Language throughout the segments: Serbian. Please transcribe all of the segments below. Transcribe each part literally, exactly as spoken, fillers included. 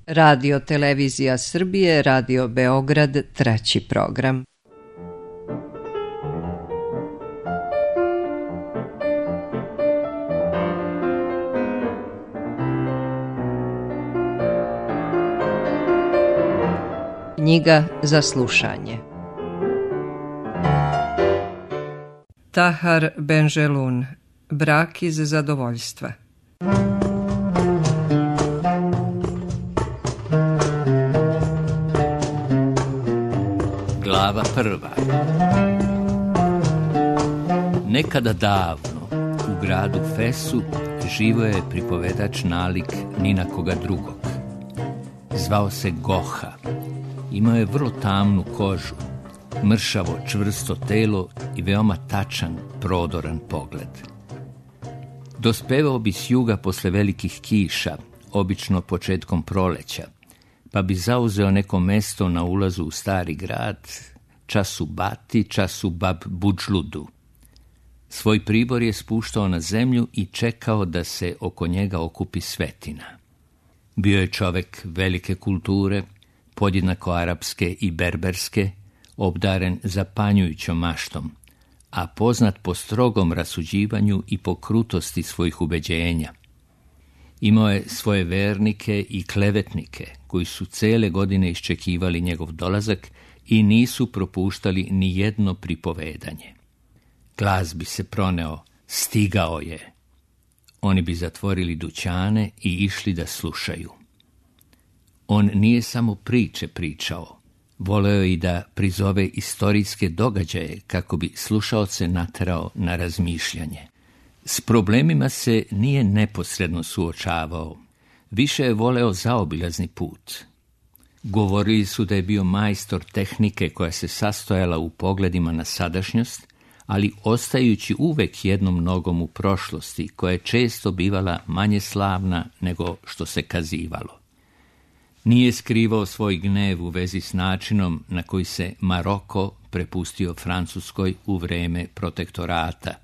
Radio Televizija Srbije, Radio Beograd, treći program. Knjiga za slušanje. Tahar Benjelun, Brak iz zadovoljstva. Glava prva. Nekada davno u gradu Fesu živio je pripovedač nalik ni na koga drugog. Zvao se Goha. Imao je vrlo tamnu kožu, mršavo čvrsto telo i veoma tačan, prodoran pogled. Dospevao bi s juga posle velikih kiša, obično početkom proleća, pa bi zauzeo neko mesto na ulazu u stari grad, čas u Bati, čas u Bab Budžludu. Svoj pribor je spuštao na zemlju i čekao da se oko njega okupi svetina. Bio je čovek velike kulture, podjednako arapske i berberske, obdaren zapanjujućom maštom, a poznat po strogom rasuđivanju i po krutosti svojih ubeđenja. Imao je svoje vernike i klevetnike, koji su cele godine iščekivali njegov dolazak i nisu propuštali ni jedno pripovedanje. Glas bi se proneo, stigao je. Oni bi zatvorili dućane i išli da slušaju. On nije samo priče pričao, voleo i da prizove istorijske događaje kako bi slušaoce naterao na razmišljanje. S problemima se nije neposredno suočavao, više je voleo zaobilazni put. Govorili su da je bio majstor tehnike koja se sastojala u pogledima na sadašnjost, ali ostajući uvek jednom nogom u prošlosti, koja je često bivala manje slavna nego što se kazivalo. Nije skrivao svoj gnev u vezi s načinom na koji se Maroko prepustio Francuskoj u vreme protektorata.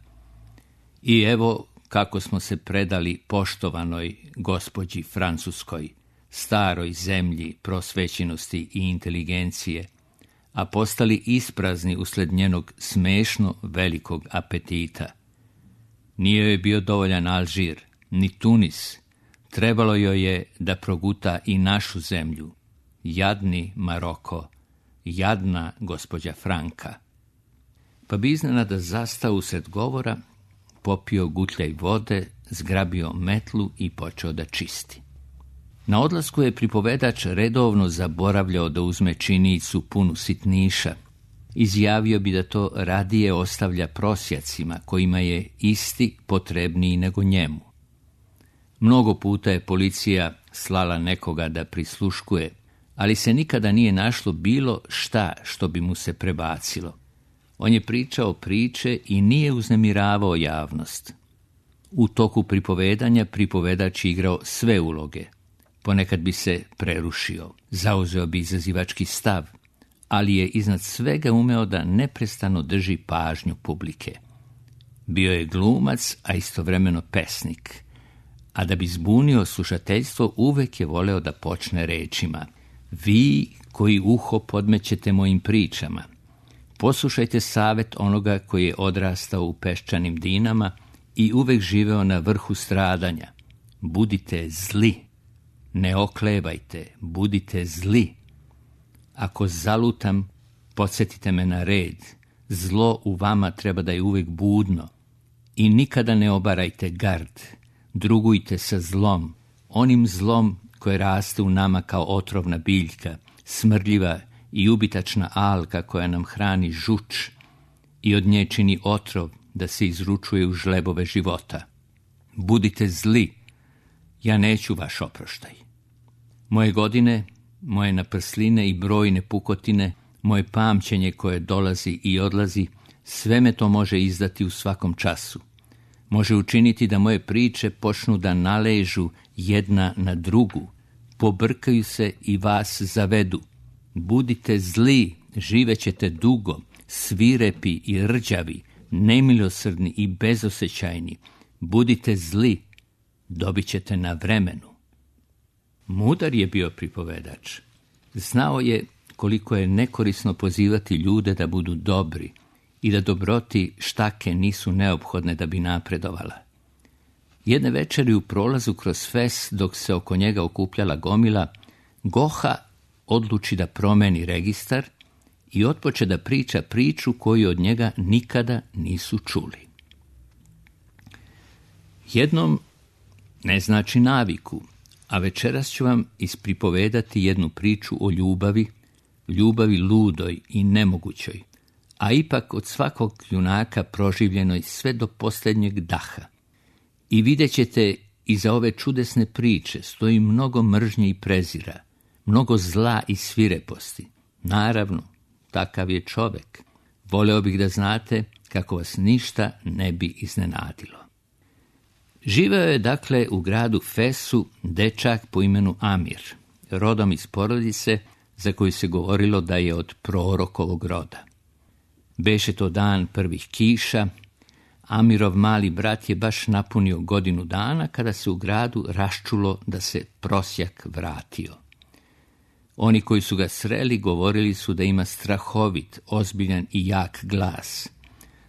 I evo kako smo se predali poštovanoj gospođi Francuskoj, staroj zemlji prosvećenosti i inteligencije, a postali isprazni usled njenog smešno velikog apetita. Nije joj bio dovoljan Alžir, ni Tunis, trebalo joj je da proguta i našu zemlju. Jadni Maroko, jadna gospođa Franka. Pa bi iznenada zastao usred govora, popio gutljaj vode, zgrabio metlu i počeo da čisti. Na odlasku je pripovedač redovno zaboravljao da uzme činicu punu sitniša. Izjavio bi da to radije ostavlja prosjacima, kojima je isti potrebniji nego njemu. Mnogo puta je policija slala nekoga da prisluškuje, ali se nikada nije našlo bilo šta što bi mu se prebacilo. On je pričao priče i nije uznemiravao javnost. U toku pripovedanja pripovedač igrao sve uloge. Ponekad bi se prerušio, zauzeo bi izazivački stav, ali je iznad svega umeo da neprestano drži pažnju publike. Bio je glumac, a istovremeno pesnik, a da bi zbunio slušateljstvo uvek je voleo da počne rečima: vi koji uho podmećete mojim pričama, poslušajte savet onoga koji je odrastao u peščanim dinama i uvek živeo na vrhu stradanja. Budite zli, ne oklevajte, budite zli. Ako zalutam, podsjetite me na red. Zlo u vama treba da je uvek budno. I nikada ne obarajte gard. Drugujte sa zlom, onim zlom koje raste u nama kao otrovna biljka, smrdljiva i ubitačna alka koja nam hrani žuč i od nje čini otrov da se izručuje u žlebove života. Budite zli, ja neću vaš oproštaj. Moje godine, moje naprsline i brojne pukotine, moje pamćenje koje dolazi i odlazi, sve me to može izdati u svakom času. Može učiniti da moje priče počnu da naležu jedna na drugu, pobrkaju se i vas zavedu. Budite zli, živećete dugo, svirepi i rđavi, nemilosrdni i bezosećajni. Budite zli, dobit ćete na vremenu. Mudar je bio pripovedač. Znao je koliko je nekorisno pozivati ljude da budu dobri i da dobroti štake nisu neophodne da bi napredovala. Jedne večeri u prolazu kroz Fes, dok se oko njega okupljala gomila, Goha odluči da promeni registar i otpoče da priča priču koju od njega nikada nisu čuli. Jednom ne znači naviku, a večeras ću vam ispripovedati jednu priču o ljubavi, ljubavi ludoj i nemogućoj, a ipak od svakog junaka proživljenoj sve do posljednjeg daha. I vidjet ćete, iza ove čudesne priče stoji mnogo mržnje i prezira, mnogo zla i svireposti. Naravno, takav je čovek. Voleo bih da znate kako vas ništa ne bi iznenadilo. Živeo je dakle u gradu Fesu dečak po imenu Amir, rodom iz porodice za koju se govorilo da je od prorokovog roda. Beše to dan prvih kiša. Amirov mali brat je baš napunio godinu dana kada se u gradu raščulo da se prosjak vratio. Oni koji su ga sreli govorili su da ima strahovit, ozbiljan i jak glas,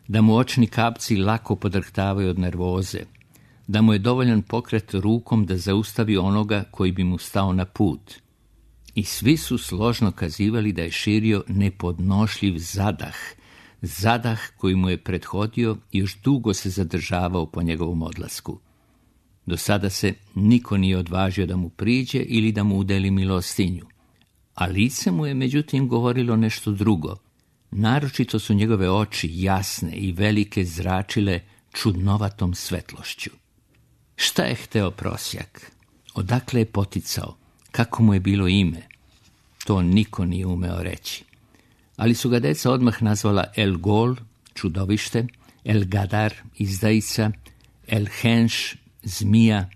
da mu očni kapci lako podrhtavaju od nervoze, da mu je dovoljan pokret rukom da zaustavi onoga koji bi mu stao na put. I svi su složno kazivali da je širio nepodnošljiv zadah, zadah koji mu je prethodio i još dugo se zadržavao po njegovom odlasku. Do sada se niko nije odvažio da mu priđe ili da mu udeli milostinju, a lice mu je međutim govorilo nešto drugo. Naročito su njegove oči jasne i velike zračile čudnovatom svetlošću. Šta je hteo prosjak? Odakle je poticao? Kako mu je bilo ime? To niko nije umeo reći. Ali su ga deca odmah nazvala El Gol, čudovište, El Gadar, izdajica, El Henš, zmija.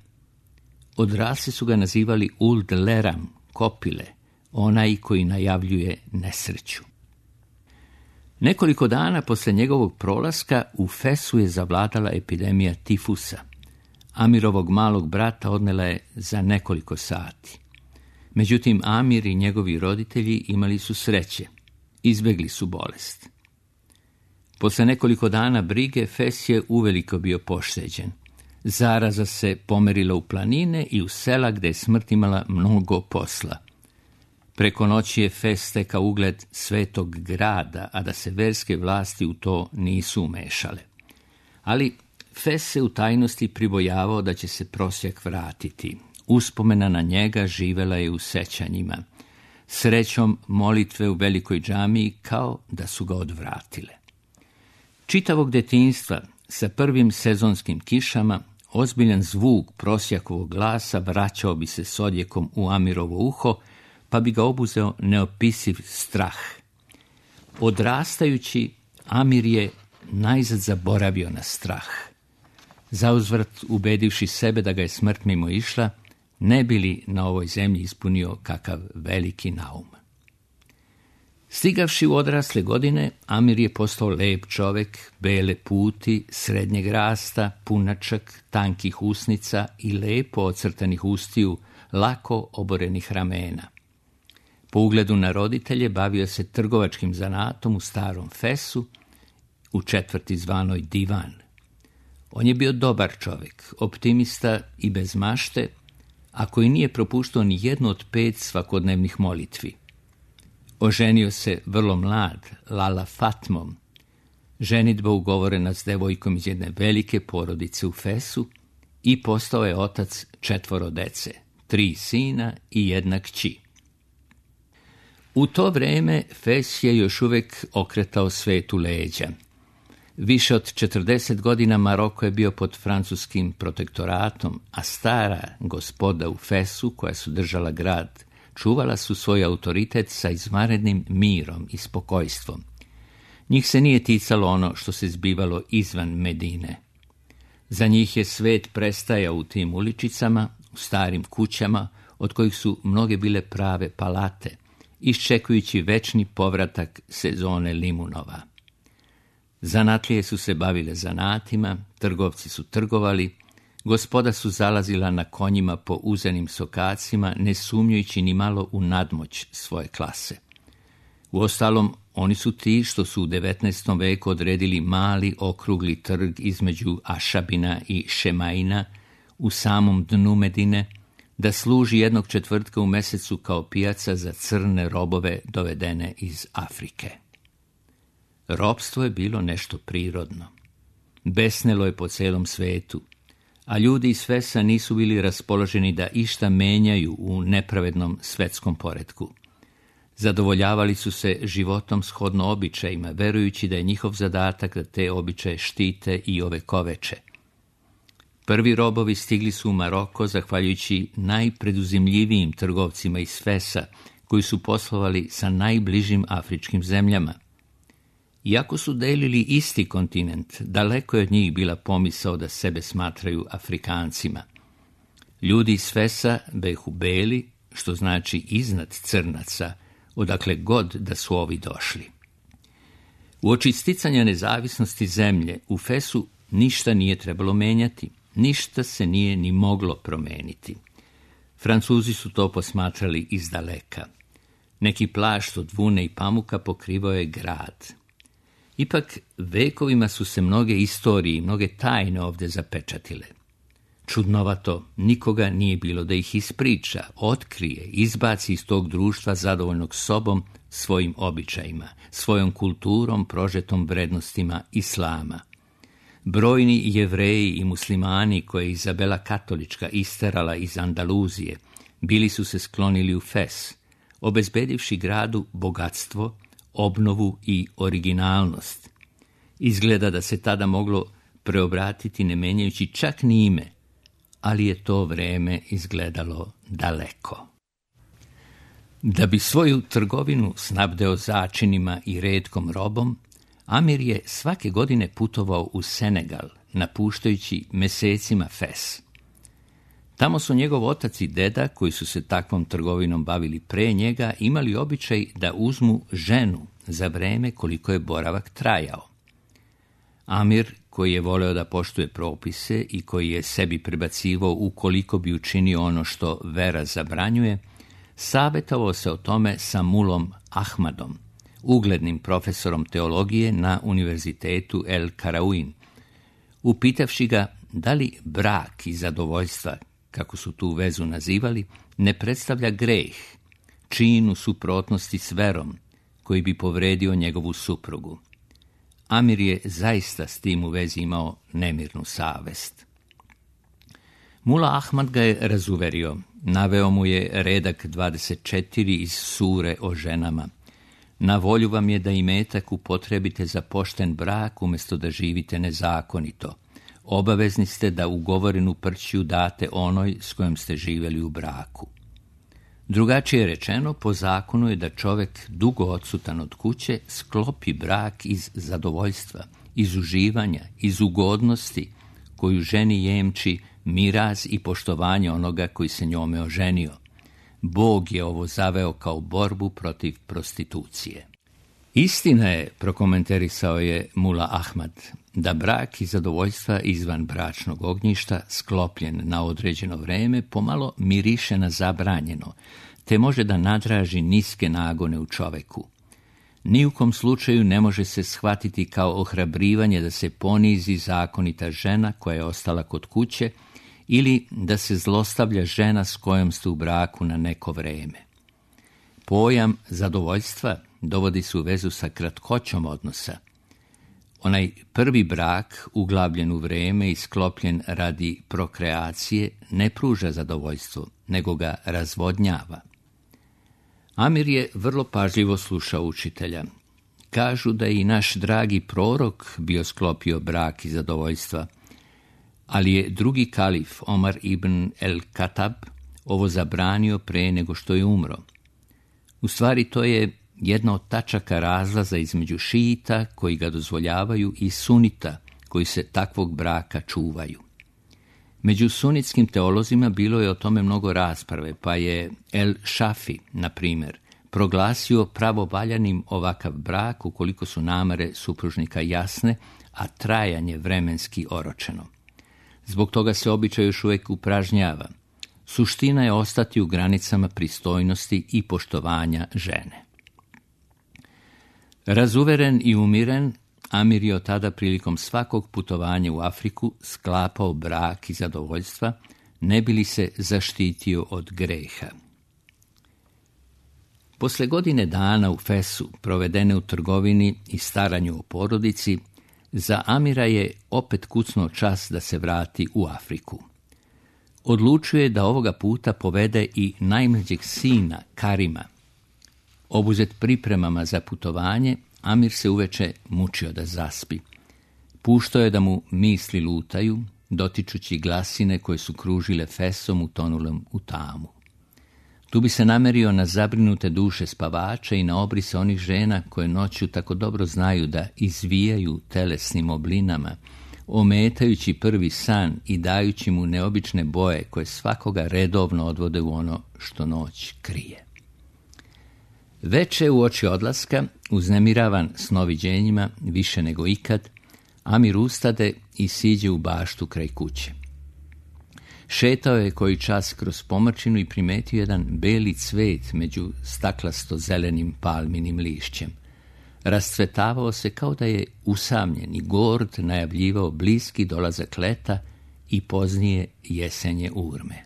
Odrasli su ga nazivali Uld Leram, kopile, onaj koji najavljuje nesreću. Nekoliko dana posle njegovog prolaska u Fesu je zavladala epidemija tifusa. Amirovog malog brata odnela je za nekoliko sati. Međutim, Amir i njegovi roditelji imali su sreće. Izbegli su bolest. Posle nekoliko dana brige, Fes je uveliko bio pošteđen. Zaraza se pomerila u planine i u sela gde je smrt imala mnogo posla. Preko noći je Fes stekao ugled svetog grada, a da se verske vlasti u to nisu umešale. Ali Fes se u tajnosti pribojavao da će se prosjak vratiti. Uspomena na njega živela je u sećanjima. Srećom, molitve u velikoj džamiji kao da su ga odvratile. Čitavog detinjstva, sa prvim sezonskim kišama, ozbiljan zvuk prosjakovog glasa vraćao bi se s odjekom u Amirovo uho, pa bi ga obuzeo neopisiv strah. Odrastajući, Amir je najzad zaboravio na strah. Zauzvrat, ubedivši sebe da ga je smrt mimo išla, ne bi li na ovoj zemlji ispunio kakav veliki naum. Stigavši u odrasle godine, Amir je postao lep čovek, bele puti, srednjeg rasta, punačak, tankih usnica i lepo ocrtanih ustiju, lako oborenih ramena. Po ugledu na roditelje bavio se trgovačkim zanatom u starom Fesu, u četvrti zvanoj Divan. On je bio dobar čovek, optimista i bez mašte, a koji nije propuštao ni jednu od pet svakodnevnih molitvi. Oženio se vrlo mlad, Lala Fatmom. Ženidba ugovorena s devojkom iz jedne velike porodice u Fesu i postao je otac četvoro dece, tri sina i jedna kći. U to vreme Fes je još uvek okretao svetu leđa. Više od četrdeset godina Maroko je bio pod francuskim protektoratom, a stara gospoda u Fesu, koja su držala grad, čuvala su svoj autoritet sa izvanrednim mirom i spokojstvom. Njih se nije ticalo ono što se zbivalo izvan Medine. Za njih je svet prestajao u tim uličicama, u starim kućama, od kojih su mnoge bile prave palate, iščekujući večni povratak sezone limunova. Zanatlije su se bavile zanatima, trgovci su trgovali, Gospoda su zalazila na konjima po uzenim sokacima, ne sumnjujući ni malo u nadmoć svoje klase. Uostalom, oni su ti što su u devetnaestom veku odredili mali okrugli trg između Ašabina i Šemaina u samom dnu Medine, da služi jednog četvrtka u mesecu kao pijaca za crne robove dovedene iz Afrike. Ropstvo je bilo nešto prirodno. Besnelo je po celom svetu, a ljudi iz Fesa nisu bili raspoloženi da išta menjaju u nepravednom svetskom poretku. Zadovoljavali su se životom shodno običajima, verujući da je njihov zadatak da te običaje štite i ovekoveče. Prvi robovi stigli su u Maroko zahvaljujući najpreduzimljivijim trgovcima iz Fesa, koji su poslovali sa najbližim afričkim zemljama. Iako su delili isti kontinent, daleko je od njih bila pomisao da sebe smatraju Afrikancima. Ljudi iz Fesa behu beli, što znači iznad crnaca, odakle god da su ovi došli. Uoči sticanja nezavisnosti zemlje, u Fesu ništa nije trebalo menjati, ništa se nije ni moglo promeniti. Francuzi su to posmatrali iz daleka. Neki plašt od vune i pamuka pokrivao je grad. Ipak, vekovima su se mnoge istorije i mnoge tajne ovdje zapečatile. Čudnovato, nikoga nije bilo da ih ispriča, otkrije, izbaci iz tog društva zadovoljnog sobom, svojim običajima, svojom kulturom, prožetom vrednostima islama. Brojni Jevreji i muslimani koje je Izabela Katolička isterala iz Andaluzije, bili su se sklonili u Fes, obezbedivši gradu bogatstvo, obnovu i originalnost. Izgleda da se tada moglo preobratiti ne menjajući čak ni ime, ali je to vreme izgledalo daleko. Da bi svoju trgovinu snabdeo začinima i retkom robom, Amir je svake godine putovao u Senegal, napuštajući mesecima Fes. Tamo su njegov otac i deda, koji su se takvom trgovinom bavili pre njega, imali običaj da uzmu ženu za vreme koliko je boravak trajao. Amir, koji je voleo da poštuje propise i koji je sebi prebacivao ukoliko bi učinio ono što vera zabranjuje, savjetovao se o tome sa mulom Ahmadom, uglednim profesorom teologije na univerzitetu El Karawin, upitavši ga da li brak i zadovoljstva, kako su tu vezu nazivali, ne predstavlja greh, čin u suprotnosti s verom, koji bi povredio njegovu suprugu. Amir je zaista s tim u vezi imao nemirnu savest. Mula Ahmad ga je razuverio, naveo mu je redak dvadeset četiri iz sure o ženama. Na volju vam je da imetak upotrebite za pošten brak umjesto da živite nezakonito. Obavezni ste da ugovorenu prćiju date onoj s kojom ste živjeli u braku. Drugačije rečeno, po zakonu je da čovjek dugo odsutan od kuće sklopi brak iz zadovoljstva, iz uživanja, iz ugodnosti, koju ženi jemči miraz i poštovanje onoga koji se njome oženio. Bog je ovo zaveo kao borbu protiv prostitucije. Istina je, prokomentarisao je Mula Ahmad, da brak i zadovoljstva izvan bračnog ognjišta, sklopljen na određeno vreme, pomalo miriše na zabranjeno, te može da nadraži niske nagone u čoveku. Ni u kom slučaju ne može se shvatiti kao ohrabrivanje da se ponizi zakonita žena koja je ostala kod kuće ili da se zlostavlja žena s kojom ste u braku na neko vreme. Pojam zadovoljstva dovodi se u vezu sa kratkoćom odnosa. Onaj prvi brak, uglavljen u vreme i sklopljen radi prokreacije, ne pruža zadovoljstvo, nego ga razvodnjava. Amir je vrlo pažljivo slušao učitelja. Kažu da je i naš dragi prorok bio sklopio brak i zadovoljstva, ali je drugi kalif, Omar ibn el-Katab, ovo zabranio pre nego što je umro. U stvari to je jedna od tačaka razlaza između šijita koji ga dozvoljavaju i sunita koji se takvog braka čuvaju. Među sunitskim teolozima bilo je o tome mnogo rasprave, pa je El Šafi, na primjer, proglasio pravovaljanim ovakav brak ukoliko su namere supružnika jasne, a trajanje vremenski oročeno. Zbog toga se običaj još uvijek upražnjava. Suština je ostati u granicama pristojnosti i poštovanja žene. Razuveren i umiren, Amir je od tada prilikom svakog putovanja u Afriku sklapao brak i zadovoljstva, ne bi li se zaštitio od greha. Posle godine dana u Fesu, provedene u trgovini i staranju o porodici, za Amira je opet kucnuo čas da se vrati u Afriku. Odlučio je da ovoga puta povede i najmlađeg sina, Karima. Obuzet pripremama za putovanje, Amir se uveče mučio da zaspi. Puštao je da mu misli lutaju, dotičući glasine koje su kružile Fesom utonulom u tamu. Tu bi se namerio na zabrinute duše spavača i na obrise onih žena koje noću tako dobro znaju da izvijaju telesnim oblinama, ometajući prvi san i dajući mu neobične boje koje svakoga redovno odvode u ono što noć krije. Veče uoči odlaska, uznemiravan snoviđenjima više nego ikad, Amir ustade i siđe u baštu kraj kuće. Šetao je koji čas kroz pomrčinu i primetio jedan beli cvet među staklasto zelenim palminim lišćem. Rascvetavao se kao da je usamljen i gord najavljivao bliski dolazak leta i poznije jesenje urme.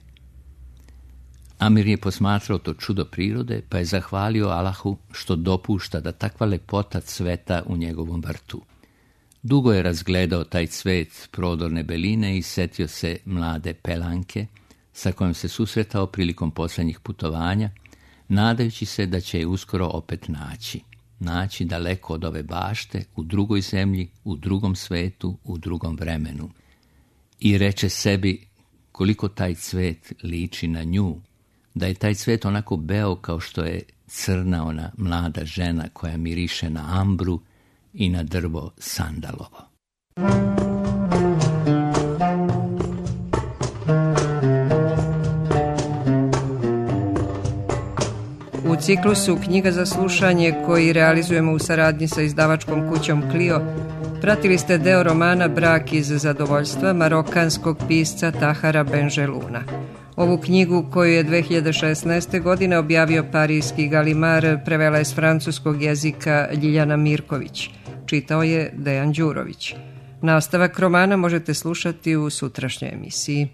Amir je posmatrao to čudo prirode, pa je zahvalio Allahu što dopušta da takva lepota cveta u njegovom vrtu. Dugo je razgledao taj cvet prodorne beline i setio se mlade Pelanke, sa kojom se susretao prilikom posljednjih putovanja, nadajući se da će je uskoro opet naći. Naći daleko od ove bašte, u drugoj zemlji, u drugom svetu, u drugom vremenu. I reče sebi koliko taj cvet liči na nju, da je taj cvet onako beo kao što je crna ona mlada žena koja miriše na ambru i na drvo sandalovo. U ciklusu Knjiga za slušanje, koji realizujemo u saradnji sa izdavačkom kućom Clio, pratili ste deo romana Brak iz zadovoljstva marokanskog pisca Tahara Benjeluna. Ovu knjigu, koju je dve hiljade šesnaeste. godine objavio parijski Galimar, prevela je s francuskog jezika Ljiljana Mirković. Čitao je Dejan Đurović. Nastavak romana možete slušati u sutrašnjoj emisiji.